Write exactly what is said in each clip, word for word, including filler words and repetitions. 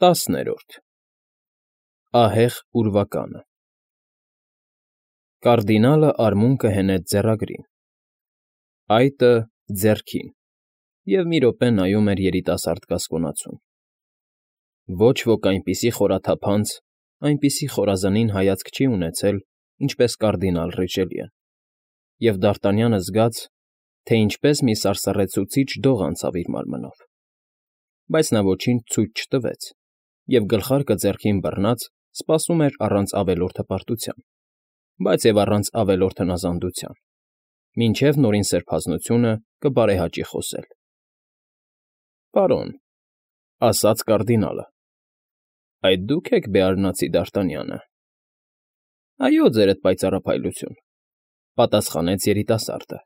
ՏԱՍՆԵՐՈՐԴ ԱՀԵՂ ՈՒՐՎԱԿԱՆԸ Կարդինալը արմունկը հենեց ձեռագրին, այտը՝ ձեռքին և մի րոպե նայում էր երիտասարդ կասկոնացուն. ոչ ոք այնպիսի խորաթափանց, այնպիսի խորազնին հայացք չի ունեցել, ինչպես կարդինալ Ռիչելիեն, և Դ'Արտանյանը զգաց, թե ինչպես մի սարսռեցուցիչ դող անցավ իր մարմնով, բայց նա ոչինչ ցույց չտվեց և, գլխարկը ձեռքին բռնած, սպասում էր առանց ավելորդ հպարտության, բայց և առանց ավելորդ հնազանդության, մինչև նորին սրբազնությունը կբարեհաճի խոսել։ ֊ Պարոն,֊ ասաց կարդինալը,֊ այդ դու՞ք եք բեարնացի Դ'Արտանյանը։ ֊ Այո, ձերդ պայծառափայլություն,֊ պատասխանեց երիտասարդը։ ֊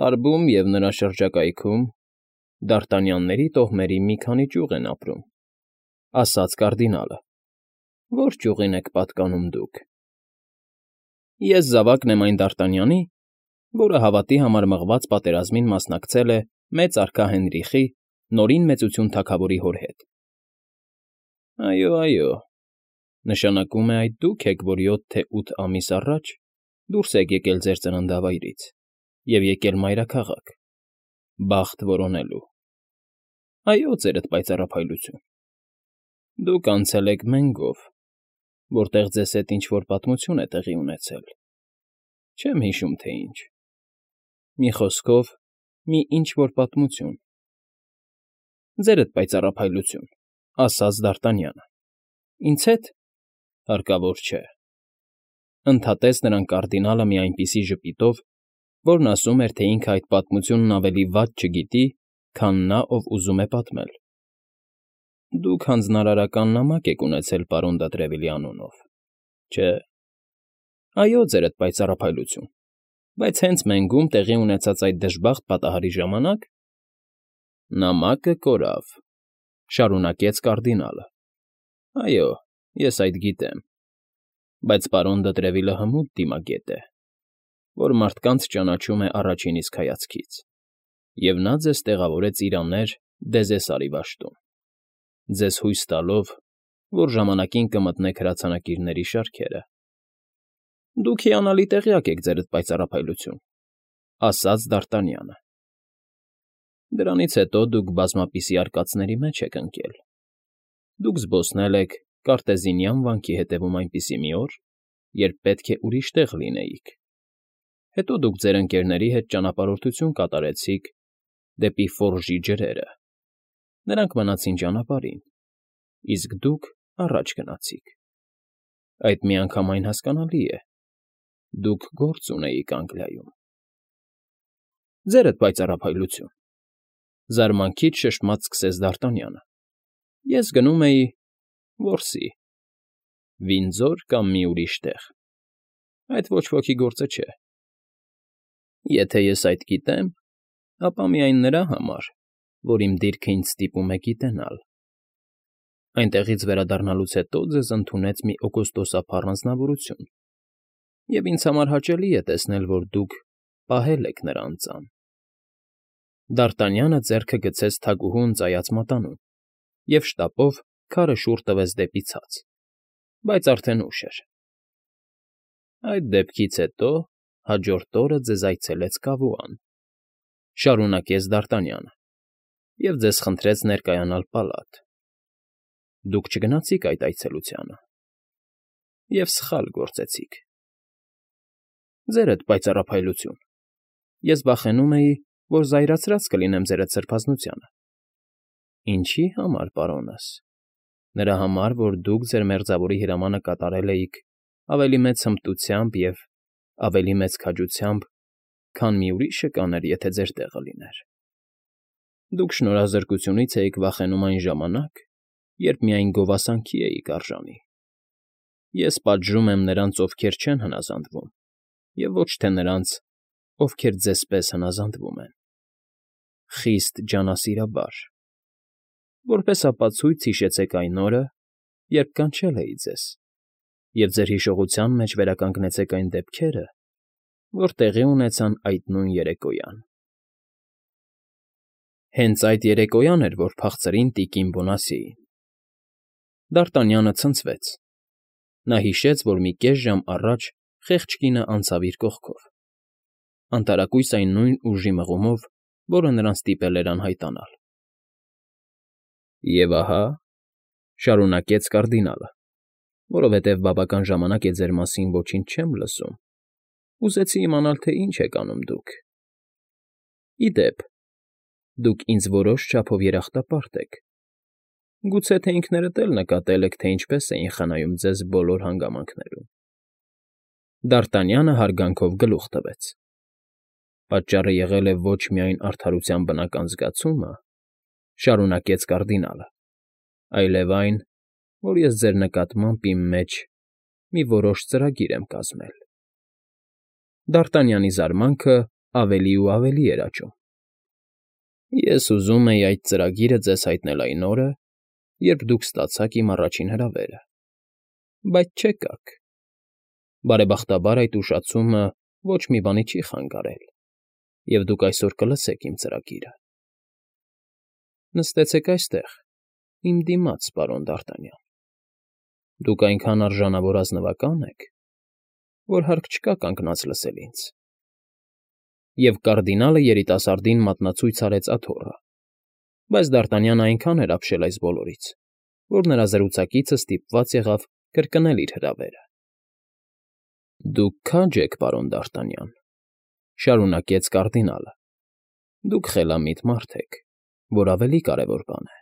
Տարբում և նրա շրջակայքում դ'Արտանյանների տոհմերի մի քանի ճյուղ են ապրում,֊ ասաց կարդինալը։ ֊ Ո՞ր ճյուղին եք պատկանում դուք։ ֊ Ես զավակն եմ այն Դ'Արտանյանի, որը հավատի համար մղած պատերազմին մասնակցել է մեծ արքա Հենրիխի՝ Նորին Մեծություն թագավորի հոր հետ։ ֊ Այո, այո, նշանակում է այդ դուք եք, որ յոթ թե ութ ամիս առաջ դուրս եք եկել ձեր ծննդավայրից և եկել մայրաքաղաք՝ բախտ որոնելու։ ֊ Այո, ձերդ պայծառափայլություն։ ֊ Դուք անցել եք Մենգով, որտեղ ձեզ հետ ինչ֊որ պատմություն է տեղի ունեցել, չեմ հիշում, թե ինչ, մի խոսքով, մի ինչ֊որ պատմություն։ ֊ Ձերդ պայծառափայլություն,֊ ասաց Դ'Արտանյանը։ ֊ Ինձ հետ, հարկավոր չէ,֊ ընդհատեց նրան կարդինալը մի այնպիսի ժպիտով, որն ասում էր, թե ինքը այդ պատմությունն ավելի վատ չգիտի, քան նա, ով ուզում է պատմել։ ֊ Դուք հանձնարարական նամակ եք ունեցել պարոն դը Տրևիլի անունով, չէ՞։ ֊ Այո, ձերդ պայծառափայլություն, բայց հենց Մենգում տեղի ունեցած այդ դժբախտ պատահարի ժամանակ… ֊ Նամակը կորավ,֊ շարունակեց կարդինալը։ ֊ Այո, ես այդ գիտեմ, բայց պարոն դը Տրևիլը հմուտ դիմագետ է, որ մարդկանց ճանաչում է առաջին իսկ հայացքից, և նա ձեզ տեղավորեց իր աներ Դեզեսարի վաշտում, ձեզ հույս տալով, որ ժամանակին կմտնեք հրացանակիրների շարքերը։ ֊ Դուք հիանալի տեղյակ եք, ձերդ պայծառափայլություն,֊ ասաց Դ'Արտանյանը։ ֊ Դրանից հետո դուք բազմապիսի արկածների մեջ եք ընկել։ Դուք զբոսնել եք Կարտեզինյան վանքի հետևում այնպիսի մի օր, երբ պետք է ուրիշ տեղ լինեիք, հետո դուք ձեր ընկերների հետ ճանապարհորդություն կատարեցիք դեպի Ֆորժի ջրերը, նրանք մնացին ճանապարհին, իսկ դուք առաջ գնացիք։ Այդ միանգամայն հասկանալի է, դուք գործ ունեիք Անգլիայում։ ֊ Ձերդ պայծառափայլություն,֊ զարմանքից շշմած սկսեց Դ'Արտանյանը,֊ ես գնում էի… որսի… Վինձո՞ր կամ մի ուրիշ տեղ… Այդ ոչ ոքի գործը չէ։ Եթե ես այդ գիտեմ, ապա միայն նրա համար, որ իմ դիրքը ինձ ստիպում է գիտենալ։ Այնտեղից վերադառնալուց հետո ձեզ ընդունեց մի օգոստոսափառ անձնավորություն, և ինձ համար հաճելի է տեսնել, որ դուք պահել եք նրա անձան։ Դ'Արտանյանը ձեռքը գցեց թագուհու ընծայած մատանուն և շտապով քարը շուռ տվեց դեպի ցած, բայց արդեն ուշ էր։ ֊ Այդ դեպքից հետո հաջորդ օրը ձեզ այցելեց Կավուան,֊ շարունակեց Դ'Արտանյանը,֊ և ձեզ խնդրեց ներկայանալ պալատ։ Դուք չգնացիք այդ այցելությանը և սխալ գործեցիք։ ֊ Ձերդ պայծառափայլություն, ես վախենում էի, որ զայրացրած կլինեմ ձերդ սրբազնությանը։ ֊ Ինչի՞ համար, պարոնս։ Նրա համար, որ դուք ձեր մերձավորի հրամանը կատարել էիք ավելի մեծ հմտությամբ և ավելի մեծ քաջությամբ, քան մի ուրիշը կաներ, եթե ձեր տեղը լիներ։ Դուք շնորհազրկությունից էիք վախենում այն ժամանակ, երբ միայն գովասանքի էիք արժանի։ Ես պատժում եմ նրանց, ովքեր չեն հնազանդվում, և ոչ թե նրանց, ովքեր ձեզ պես հնազանդվում են։ Խիստ ջանասիրաբար։ Որպես ապացույց հիշեցեք այն օրը, երբ կանչել էի ձեզ, և ձեր հիշողության մեջ վերականգնեցեք այն դեպքերը, որ տեղի ունեցան այդ նույն երեկոյան։ Հենց այդ երեկոյան էր, որ փախցրին տիկին Բոնասիեին։ Դ'Արտանյանը ցնցվեց. նա հիշեց, որ մի կես ժամ առաջ խեղճ կինը անցավ իր կողքով, անտարակույս այն նույն ուժի մղումով, որը նրան ստիպել էր անհայտանալ։ ֊ Եվ ահա,֊ շարունակեց կարդինալը, որովհետև բավական ժամանակ է ձեր մասին ոչինչ չեմ լսում, ուզեցի իմանալ, թե ինչ եք անում դուք։ Ի դեպ, դուք ինձ որոշ չափով երախտապարտ եք, գուցե թե ինքներդ էլ նկատել եք, թե ինչպես էին խնայում ձեզ բոլոր հանգամանքներում։ Դ'Արտանյանը հարգանքով գլուխ տվեց. պատճառը եղել է ոչ միայն արդարության բնական զգացումը, շարունակեց կարդինալը, այլև այն, որ ես ձեր նկատմամբ իմ մեջ մի որոշ ծրագիր եմ կազմել։ Դ'Արտանյանի զարմանքը ավելի ու ավելի էր աճում։ Ես ուզում էի այդ ծրագիրը ձեզ հայտնել այն օրը, երբ դուք ստացաք իմ առաջին հրավերը, բայց չեկաք։ Բարեբախտաբար այդ ուշացումը ոչ մի բանի չի խանգարել, և դուք այսօր կլսեք իմ ծրագիրը։ Նստեցեք այստեղ, իմ դիմաց, պարոն Դ'Արտանյան։ Դուք այնքան արժանավոր ազնվակա՞ն եք, որ հարկ չկա կանգնած լսել ինձ։ Եվ կարդինալը երիտասարդին մատնացույց արեց աթոռը, բայց Դ'Արտանյանը այնքան էր ապշել այս բոլորից, որ նրա զրուցակիցը ստիպված եղավ կրկնել իր հրավերը։ Դուք քա՞ջ եք, պարոն Դ'Արտանյան,֊ շարունակեց կարդինալը։ Դուք խելամիտ մարդ եք, որ ավելի կարևոր բան է։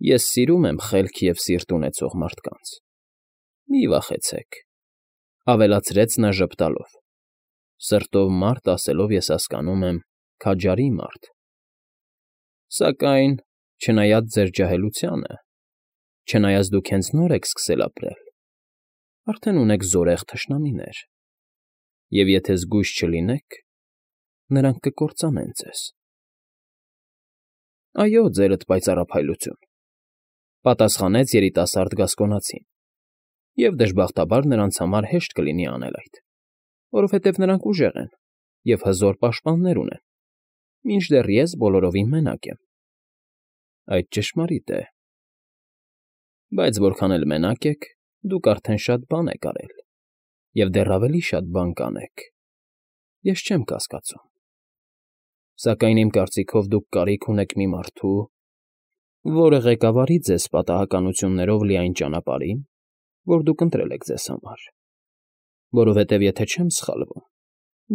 Ես սիրում եմ խելք և սիրտ ունեցող մարդկանց։ Մի վախեցեք,֊ ավելացրեց նա ժպտալով, սրտով մարդ ասելով ես հասկանում եմ քաջարի մարդ։ Սակայն, չնայած ձեր ջահելությանը, չնայած դուք հենց նոր եք սկսել ապրել, արդեն ունեք զորեղ թշնամիներ, և եթե զգույշ չլինեք, նրանք կկործանեն ձեզ։ Այո, ձերդ պայծառափայլություն,֊ պատասխանեց երիտասարդ գասկոնացին, և դժբախտաբար նրանց համար հեշտ կլինի անել այդ, որովհետև նրանք ուժեղ են և հզոր պաշտպաններ ունեն, մինչդեռ ես բոլորովին մենակ եմ։ Այդ ճշմարիտ է։ Բայց որքան էլ մենակ եք, դուք արդեն շատ բան եք արել, և դեռ ավելի շատ բան կանեք, ես չեմ կասկածում։ Սակայն իմ կարծիքով դուք կարիք ունեք մի մարդու, որը ղեկավարի ձեզ պատահականություններով լի այն ճանապարհին, որ դուք ընտրել եք ձեզ համար, որովհետև եթե չեմ սխալվում,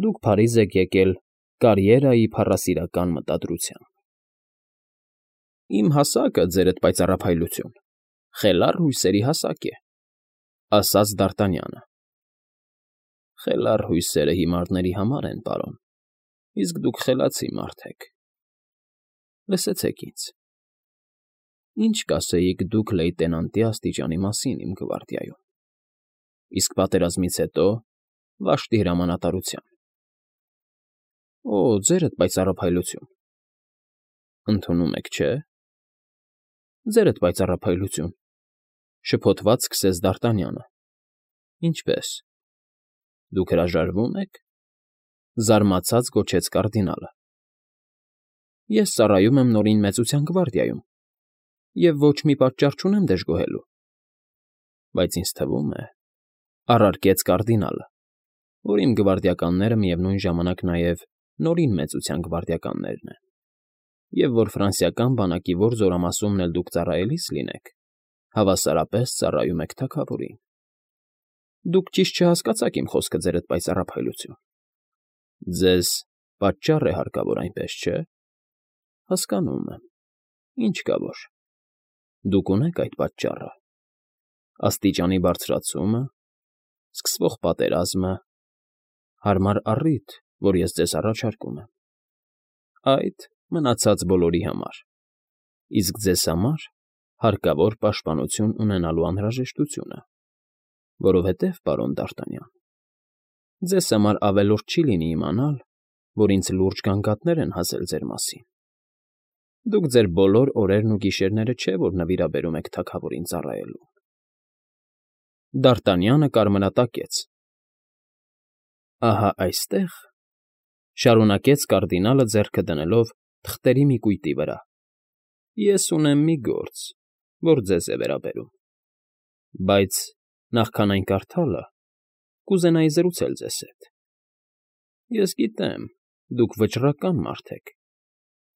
դուք Փարիզ եք եկել կարիերայի փառասիրական մտադրությամբ։ Իմ հասակը, ձերդ պայծառափայլություն, խելառ հույսերի հասակ է,֊ ասաց Դ'Արտանյանը։ Խելառ հույսերը հիմարների համար են, պարոն, իսկ դուք խելացի մարդ եք։ Լսեցեք ինձ. ինչ կասեիք դուք լեյտենանտի աստիճանի մասին իմ գվարդիայում, իսկ պատերազմից հետո վաշտի հրամանատարության։ Օ, ձերդ պայծառափայլություն, ընդունում եք, չէ՞։ Ձերդ պայծառափայլություն,֊ շփոթված սկսեց Դ'Արտանյանը։ Ինչպե՞ս, դուք հրաժարվո՞ւմ եք,֊ զարմացած գոչեց կարդինալը։ Ես ծառայում եմ Նորին Մեծության գվարդիայում և ոչ մի պատճառ չունեմ դժգոհելու։ Բայց ինձ թվում է,֊ առարկեց կարդինալը, որ իմ գվարդիականները միևնույն ժամանակ նաև Նորին Մեծության գվարդիականներն են, և որ ֆրանսիական բանակի որ զորամասումն էլ դուք ծառայելիս լինեք, հավասարապես ծառայում եք թագավորին։ Դուք ճիշտ չհասկացաք իմ խոսքը, ձերդ պայծառափայլություն։ Ձեզ պատճառ է հարկավոր, այնպես չէ։ Հասկանում եմ, ինչ կա որ։ Դուք ունեք այդ պատճառը. աստիճանի բարձրացումը, սկսվող պատերազմը, հարմար առիթ, որ ես ձեզ առաջարկում եմ, այդ մնացած բոլորի համար, իսկ ձեզ համար հարկավոր պաշտպանություն ունենալու անհրաժեշտությունը, որովհետև, պարոն Դ'Արտանյան, ձեզ համար ավելորդ չի լինի իմանալ, որ ինձ լուրջ գանգատներ են հասել ձեր մասին։ Դուք ձեր բոլոր օրերն ու գիշերները չէ, որ նվիրաբերում եք թագավորին ծառայելուն։ Դ'Արտանյանը կարմրատակեց։ Ահա այստեղ,֊ շարունակեց կարդինալը ձեռքը դնելով թղթերի մի կույտի վրա,֊ ես ունեմ մի գործ, որ ձեզ է վերաբերում, բայց նախքան այն կարդալը, կուզենայի զրուցել ձեզ հետ։ Ես գիտեմ, դուք վճռական մարդ եք,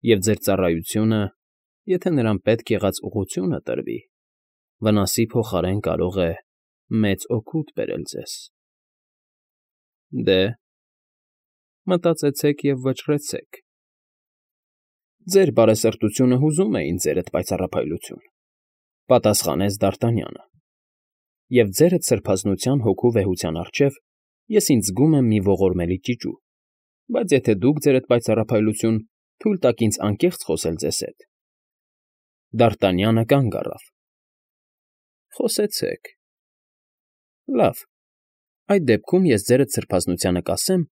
և ձեր ծառայությունը, եթե նրան պետք եղած ուղղությունը տրվի, վնասի փոխարեն կարող է մեծ օգուտ բերել ձեզ։ Դե, մտածեցեք և վճռեցեք։ Ձեր բարեսրտությունը հուզում է ինձ ձերդ պայծառափայլություն, պատասխանեց Դ'Արտանյանը, և ձերդ սրբազնության հոգու վեհության առջև ես ինձ զգում եմ մի ողորմելի ճիճու, բայց եթե դուք, ձերդ պայծառափայլություն, թույլ տաք ինձ անկեղծ խոսել ձեզ հետ… Դ'Արտանյանը կանգ առավ։ Խոսեցեք։ Լավ, այդ դեպքում ես ձերդ սրբազնությանը կասեմ,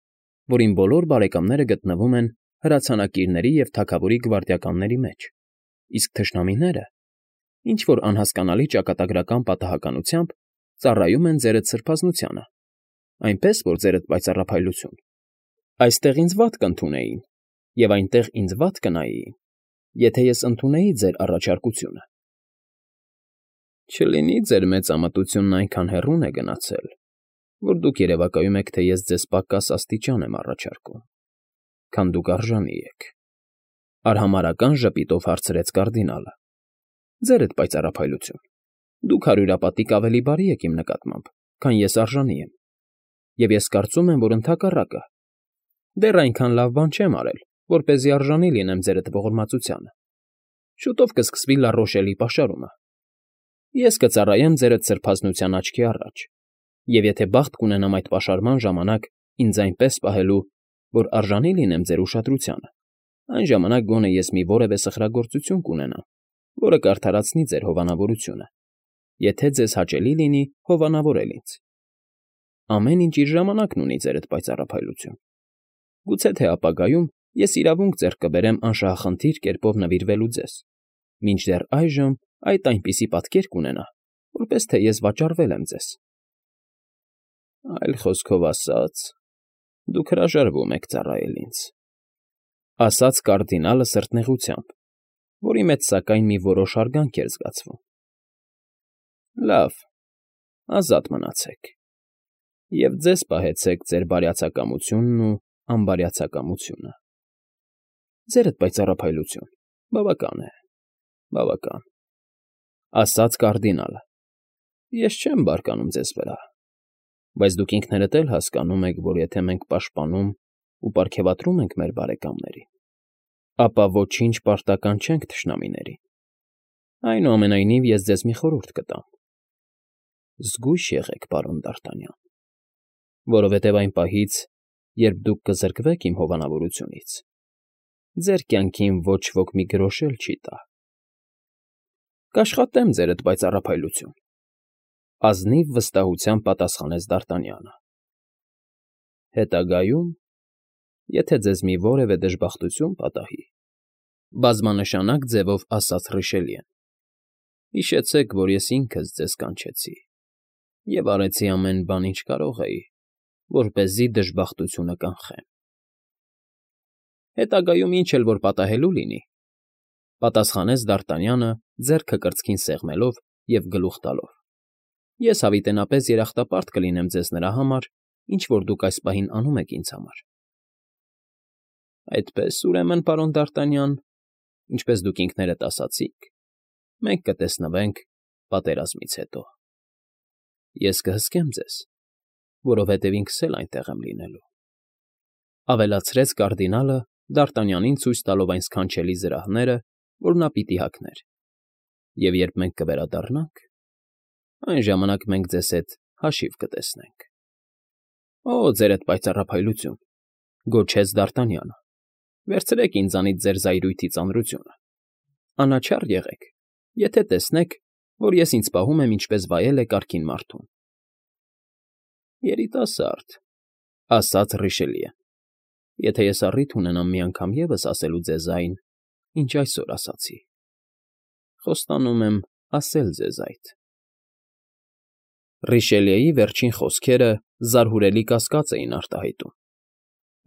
որ իմ բոլոր բարեկամները գտնվում են հրացանակիրների և թագավորի գվարդիականների մեջ, իսկ թշնամիները, ինչ֊որ անհասկանալի ճակատագրական պատահականությամբ, ծառայում են ձերդ սրբազնությանը, այնպես որ, ձերդ պայծառափայլություն, այստեղ ինձ վատ կընդունեին և այնտեղ ինձ վատ կնայեին, եթե ես ընդունեի ձեր առաջարկությունը։ Չլինի ձեր մեծամտությունն այնքան հեռուն է գնացել, որ դուք երևակայում եք, թե ես ձեզ պակաս աստիճան եմ առաջարկում, քան դուք արժանի եք,֊ արհամարհական ժպիտով հարցրեց կարդինալը։ Ձերդ պայծառափայլություն, դուք հարյուրապատիկ ավելի բարի եք իմ նկատմամբ, քան ես արժանի եմ, և ես կարծում եմ, որ ընդհակառակը, դեռ այնքան լավ բան չեմ արել, որպեսզի արժանի լինեմ ձերդ ողորմածությանը։ Շուտով կսկսվի Լա Ռոշելի պաշարումը։ Ես կծառայեմ ձերդ սրբազնության աչքի առաջ, և եթե բախտ կունենամ այդ պաշարման ժամանակ ինձ այնպես պահելու, որ արժանի լինեմ ձեր ուշադրությանը, այն ժամանակ գոնե ես մի որևէ սխրագործություն կունենամ, որը կարդարացնի ձեր հովանավորությունը, եթե ձեզ հաճելի լինի հովանավորել ինձ։ Ամեն ինչ իր ժամանակն ունի, ձերդ պայծառափայլություն։ Գուցե թե ապագայում ես իրավունք ձեռք կբերեմ անշահախնդիր կերպով նվիրվելու ձեզ, մինչդեռ այժմ այդ այնպիսի պատկեր կունենա, որպես թե ես վաճառվել եմ ձեզ։ Այլ խոսքով ասած, դուք հրաժարվում եք ծառայել ինձ,֊ ասաց կարդինալը սրտնեղությամբ, որի մեջ, սակայն, մի որոշ հարգանք էր զգացվում։ Լավ, ազատ մնացեք, և ձեզ պահեցեք ձեր բարյացակամությունն ու անբարյացակամությունը։ Ձերդ պայծառափայլություն, բավական է, բավական,֊ ասաց կարդինալը։ Ես չեմ բարկանում ձեզ վրա, բայց դուք ինքներդ էլ հասկանում եք, որ եթե մենք պաշտպանում ու պարգևատրում ենք մեր բարեկամներին, ապա ոչինչ պարտական չենք թշնամիներին։ Այնուամենայնիվ, ես ձեզ մի խորհուրդ կտամ. զգույշ եղեք, պարոն Դ'Արտանյան, որովհետև այն պահից, երբ դուք կզրկվեք իմ հովանավորությունից, ձեր կյանքին ոչ ոք մի գրոշ էլ չի տա։ Կաշխատեմ, ձերդ պայծառափայլություն,֊ ազնիվ վստահությամբ պատասխանեց Դ'Արտանյանը։ Հետագայում, եթե ձեզ մի որևէ դժբախտություն պատահի,֊ բազմանշանակ ձևով ասաց Ռիշելիեն,֊ հիշեցեք, որ ես ինքս ձեզ կանչեցի և արեցի ամեն բան, ինչ կարող էի, որպեսզի դժբախտությունը կանխեմ։ Հետագայում ինչ էլ որ պատահելու լինի,֊ պատասխանեց Դ'Արտանյանը ձեռքը կրծքին սեղմելով և գլուխ տալով,֊ ես հավիտենապես երախտապարտ կլինեմ ձեզ նրա համար, ինչ որ դուք այս պահին անում եք ինձ համար։ Այդպես, ուրեմն, պարոն Դ'Արտանյան, ինչպես դուք ինքներդ ասացիք, մենք կտեսնվենք պատերազմից հետո։ Ես կհսկեմ ձեզ, որովհետև ինքս էլ այնտեղ եմ լինելու,֊ ավելացրեց կարդինալը Դ'Արտանյանին ցույց տալով այն սքանչելի զրահները, որ նա պիտի հագներ,֊ և երբ մենք կվերադառնանք, այն ժամանակ մենք ձեզ հետ հաշիվ կտեսնենք։ Օ, ձերդ պայծառափայլություն,֊ գոչեց Դ'Արտանյանը,֊ վերցրեք ինձանից ձեր զայրույթի ծանրությունը։ Անաչառ եղեք, եթե տեսնեք, որ ես ինձ պահում եմ ինչպես վայել է կարգին մարդուն։ Երիտասարդ,֊ ասաց Ռիշելիեն,֊ եթե ես առիթ ունենամ մի անգամ ևս ասելու ձեզ այն, ինչ այսօր ասացի, խոստանում եմ ասել ձեզ այդ… Ռիշելիեի վերջին խոսքերը զարհուրելի կասկած էին արտահայտում.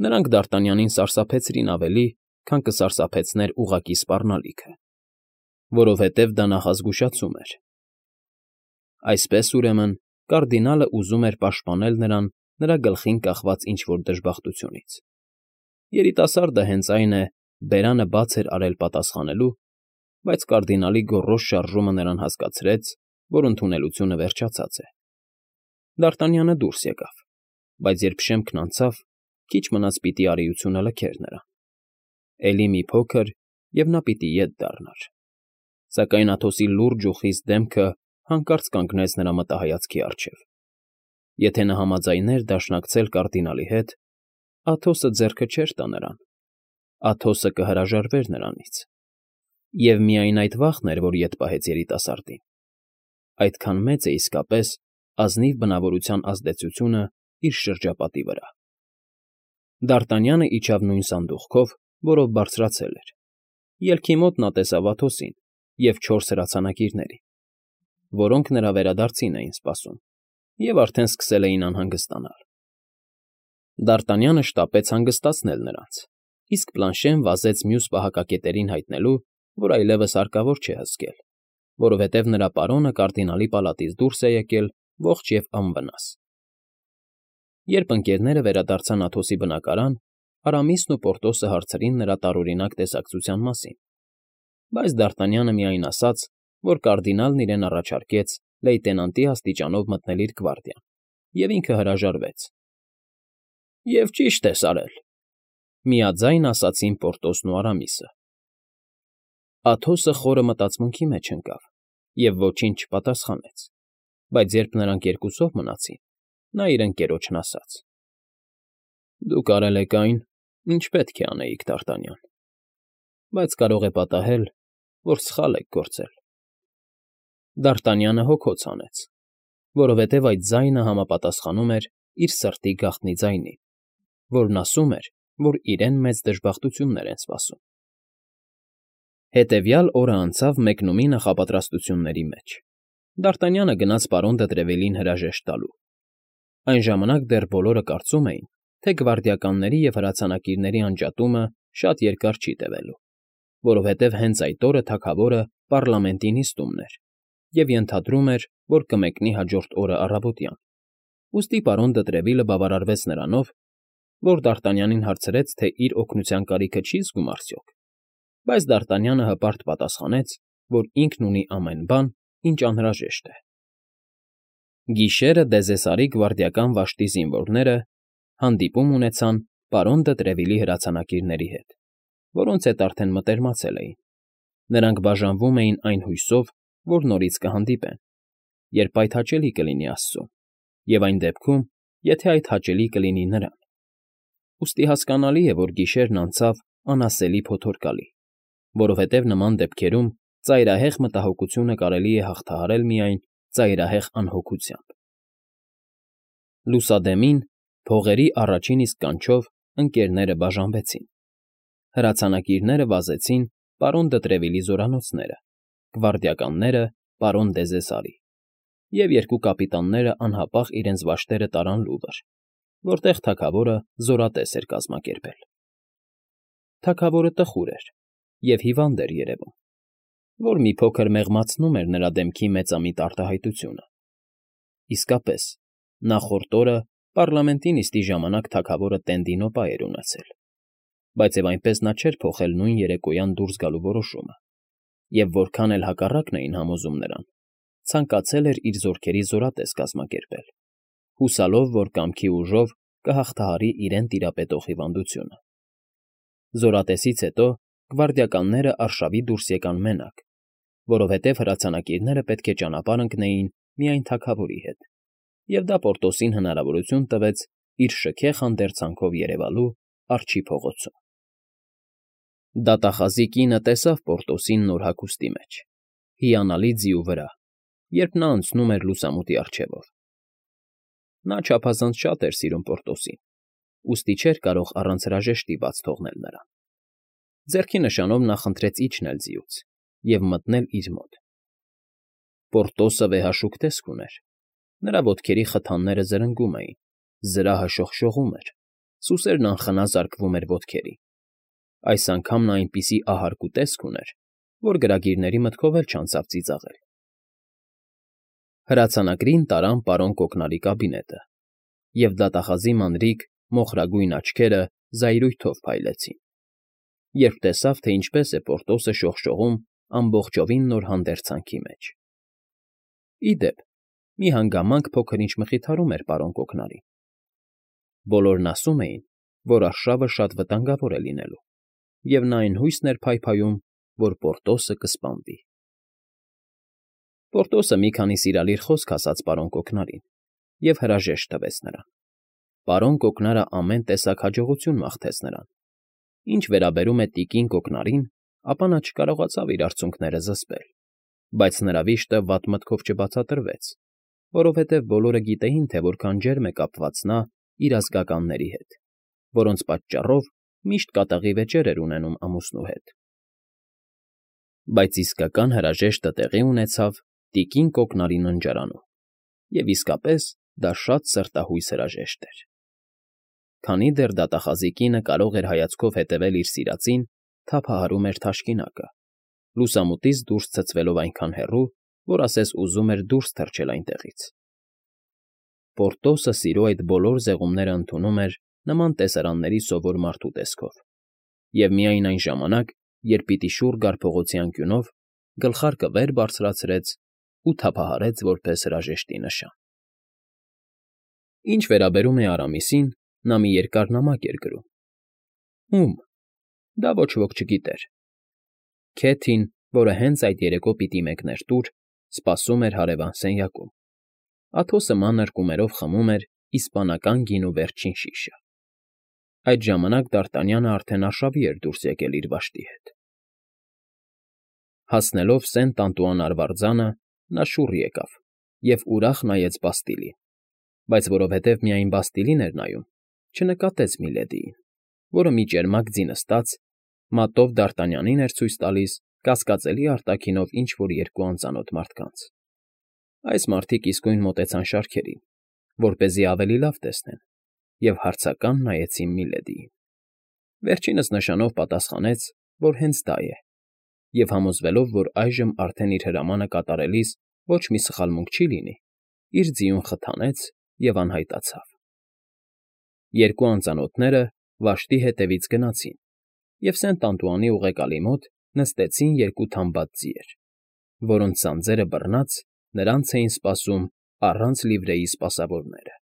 նրանք Դ'Արտանյանին սարսափեցրին ավելի, քան կսարսափեցներ ուղղակի սպառնալիքը։ որովհետև դա նախազգուշացում էր։ Այսպես, ուրեմն, կարդինալը ուզում էր պաշտպանել նրան նրա գլխին կախված ինչ֊որ դժբախտությունից։ Երիտասարդը հենց այն է, բերանը բաց էր արել պատասխանելու, բայց կարդինալի գոռոզ շարժումը նրան հասկացրեց, որ ընդունելությունը վերջացած է։ Դ'Արտանյանը դուրս եկավ, բայց երբ շեմքն անցավ, քիչ մնաց պիտի արիությունը լքեր նրան։ Էլի մի փոքր, և նա պիտի ետ դառնար։ Սակայն Աթոսի լուրջ ու խիստ դեմքը հանկարծ կանգնեց նրա մտահայացքի առջև։ Եթե նա համաձայներ դաշնակցել կարդինալի հետ, Աթոսը ձեռքը չէր տա նրան, Աթոսը կհրաժարվեր նրանից։ Եվ միայն այդ վախն էր, որ ետ պահեց երիտասարդին։ Այդքան մեծ է իսկապես ազնիվ բնավորության ազդեցությունը իր շրջապատի վրա։ Դ'Արտանյանը իջավ նույն սանդուղքով, որով բարձրացել էր։ Ելքի մոտ նա տեսավ Աթոսին և չորս հրացանակիրներին, որոնք նրա վերադարձին էին սպասում և արդեն սկսել էին անհանգստանալ։ Դ'Արտանյանը շտապեց հանգստացնել նրանց, իսկ Պլանշեն վազեց մյուս պահակակետերին հայտնելու, որ այլևս հարկավոր չէ հսկել, որովհետև նրա պարոնը կարդինալի պալատից դուրս է եկել ողջ և անվնաս։ Երբ ընկերները վերադարձան Աթոսի բնակարան, Արամիսն ու Պորտոսը հարցրին նրա տարօրինակ տեսակցության մասին, բայց Դ'Արտանյանը միայն ասաց, որ կարդինալն իրեն առաջարկեց լեյտենանտի աստիճանով մտնել իր գվարդիան, և ինքը հրաժարվեց։ ֊ Եվ ճիշտ ես արել,֊ միաձայն ասացին Պորտոսն ու Արամիսը։ Աթոսը խորը մտածմունքի մեջ ընկավ և ոչինչ չպատասխանեց, բայց երբ նրանք երկուսով մնացին, նա իր ընկերոջն ասաց. ֊ Դուք արել եք այն, ինչ պետք է անեիք, Դ'Արտանյան, բայց կարող է պատահել, որ սխալ եք գործել։ Դ'Արտանյանը հոգոց հանեց, որովհետև այդ ձայնը համապատասխանում էր իր սրտի գաղտնի ձայնին, որն ասում էր, որ իրեն մեծ դժբախտություններ են սպասում։ Հետևյալ օրը անցավ մեկնումի նախապատրաստությունների մեջ։ Դ'Արտանյանը գնաց պարոն դը Տրևիլին հրաժեշտ տալու։ Այն ժամանակ դեռ բոլորը կարծում էին, թե գվարդիականների և հրացանակիրների անջատումը շատ երկար չի տևելու, որովհետև հենց այդ օրը թագավորը պառլամենտի նիստումն էր և ենթադրում էր, որ կմեկնի հաջորդ օրը առավոտյան։ Ուստի պարոն դը Տրևիլը բավարարվեց նրանով, որ Դ'Արտանյանին հարցրեց, թե իր օգնության կարիքը չի զգում արդյոք, բայց Դ'Արտանյանը հպարտ պատասխանեց, որ ինքն ունի ամեն բան, ինչ անհրաժեշտ է։ Գիշերը Դեզեսարի գվարդիական վաշտի զինվորները հանդիպում ունեցան պարոն դը Տրևիլի հրացանակիրների հետ, որոնց հետ արդեն մտերմացել էին։ Նրանք բաժանվում էին այն հույսով, որ նորից կհանդիպեն, երբ այդ հաճելի կլինի Աստծուն, և այն դեպքում, եթե այդ հաճելի կլինի նրան։ Ուստի հասկանալի է, որ գիշերն անցավ անասելի փոթորկալի, որովհետև նման դեպքերում ծայրահեղ մտահոգությունը կարելի է հաղթահարել միայն ծայրահեղ անհոգությամբ։ Լուսադեմին, փողերի առաջին իսկ կանչով ընկերները բաժանվեցին։ Հրացանակիրները վազեցին պարոն դը Տրևիլի զորանոցները, գվարդիականները՝ պարոն Դեզեսարի, և երկու կապիտանները անհապաղ իրենց վաշտերը տարան Լուվր, որտեղ թագավորը զորատես էր կազմակերպել։ Թագավորը տխուր էր և հիվանդ էր երևում, որ մի փոքր մեղմացնում էր նրա դեմքի մեծամիտ արտահայտությունը։ Իսկապես, նախորդ օրը պառլամենտի նիստի ժամանակ թագավորը տենդինոպա էր ունեցել, բայց և այնպես նա չէր փոխել նույն երեկոյան դուրս գալու որոշումը, և որքան էլ հակառակն էին համոզում նրան, ցանկացել էր իր զորքերի զորատես կազմակերպել, հուսալով, որ կամքի ուժով կհաղթահարի իրեն տիրապետող հիվանդությունը։ Զորատեսից հետո գվարդիականները արշավի դուրս եկան մենակ, որովհետև հրացանակիրները պետք է ճանապարհ ընկնեին միայն թագավորի հետ, և դա Պորտոսին հնարավորություն տվեց իր շքեղ հանդերձանքով երևալու արջի փողոցում։ Դատախազի կինը տեսավ Պորտոսին նոր հագուստի մեջ, հիանալի ձիու վրա, երբ նա անցնում էր լուսամուտի առջևով։ Նա չափազանց շատ էր սիրում Պորտոսին, ուստի չէր կարող առանց հրաժեշտի բաց թողնել նրան։ Ձեռքի նշանով նա խնդրեց իջնել ձիուց և մտնել իր մոտ։ Պորտոսը վեհաշուկ տեսք ուներ, նրա ոտքերի խթանները զրնգում էին, զրահը շողշողում էր, սուսերն անխնա զարկվում էր ոտքերին։ Այս անգամ նա այնպիսի ահարգ ու տեսք ուներ, որ գրագիրների մտքով էլ չանցավ ծիծաղել։ Հրացանակրին տարան պարոն Կոկնարի կաբինետը, և դատախազի մանրիկ, մոխրագույն աչքերը զայրույթով փայլեցին, երբ տեսավ, թե ինչպես է Պորտոսը շողշողում ամբողջովին նոր հանդերձանքի մեջ։ Ի դեպ, մի հանգամանք փոքր-ինչ մխիթարում էր պարոն Կոկնարին. բոլորն ասում էին, որ արշավը շատ վտանգավոր է լինելու, և նա այն հույսն էր փայփայում, որ Պորտոսը կսպանվի։ Պորտոսը մի քանի սիրալիր խոսք ասաց պարոն Կոկնարին և հրաժեշտ տվեց նրան։ Պարոն Կոկնարը ամեն տեսակ հաջողություն մաղթեց նրան։ Ինչ վերաբերում է տիկին Կոկնարին, ապա նա չկարողացավ իր արցունքները զսպել, բայց նրա վիշտը վատ մտքով չբացատրվեց, որովհետև բոլորը գիտեին, թե որքան ջերմ է կապված նա իր ազգականների հետ, որոնց պատճառով միշտ կատաղի վեճեր էր ունենում ամուսնու հետ։ Բայց իսկական հրաժեշտը տեղի ունեցավ տիկին Կոկնարի ննջարանում, և իսկապես դա շատ սրտահույս հրաժեշտ էր։ Քանի դեռ դատախազի կինը կարող էր հայացքով հետևել իր սիրածին, թափահարում էր թաշկինակը, լուսամուտից դուրս ցցվելով այնքան հեռու, որ ասես ուզում էր դուրս թռչել այնտեղից։ Պորտոսը սիրո այդ բոլոր զեղումները ընդունում էր նման տեսարանների սովոր մարդու տեսքով, և միայն այն ժամանակ, երբ պիտի շուռ գար փողոցի անկյունով, գլխարկը վեր բարձրացրեց ու թափահարեց որպես հրաժեշտի նշան։ Ինչ վերաբերում է Արամիսին, նա մի երկար նամակ էր գրում։ Ում՝ դա ոչ ոք չգիտեր։ Քեթին, որը հենց այդ երեկո պիտի մեկներ տուր, սպասում էր հարևան սենյակում։ Աթոսը մանր կումերով խմում էր իսպանական գինու վերջին շիշը։ Այդ ժամանակ Դ'Արտանյանը արդեն արշավի էր դուրս եկել իր վաշտի հետ։ Հասնելով Սենտ Անտուան արվարձանը, նա շուռ եկավ և ուրախ նայեց Բաստիլին, բայց որովհետև միայն Բաստիլին էր նայում, չնկատեց Միլեդիին, որը մի ճերմակ ձի նստած, մատով Դ'Արտանյանին էր ցույց տալիս կասկածելի արտաքինով ինչ֊որ երկու անծանոթ մարդկանց։ Այս մարդիկ իսկույն մոտեցան շարքերին, որպեսզի ավելի լավ տեսնեն, և հարցական նայեցին Միլեդիին։ Վերջինս նշանով պատասխանեց, որ հենց դա է, և համոզվելով, որ այժմ արդեն իր հրամանը կատարելիս ոչ մի սխալմունք չի լինի, իր ձիուն խթանեց և անհայտացավ։ Երկու անծանոթները վաշտի հետևից գնացին և Սենտ Անտուանի ուղեկալի մոտ նստեցին երկու թամբած ձիեր, որոնց սանձերը բռնած նրանց էին սպասում առանց լիվրեի սպասավորները։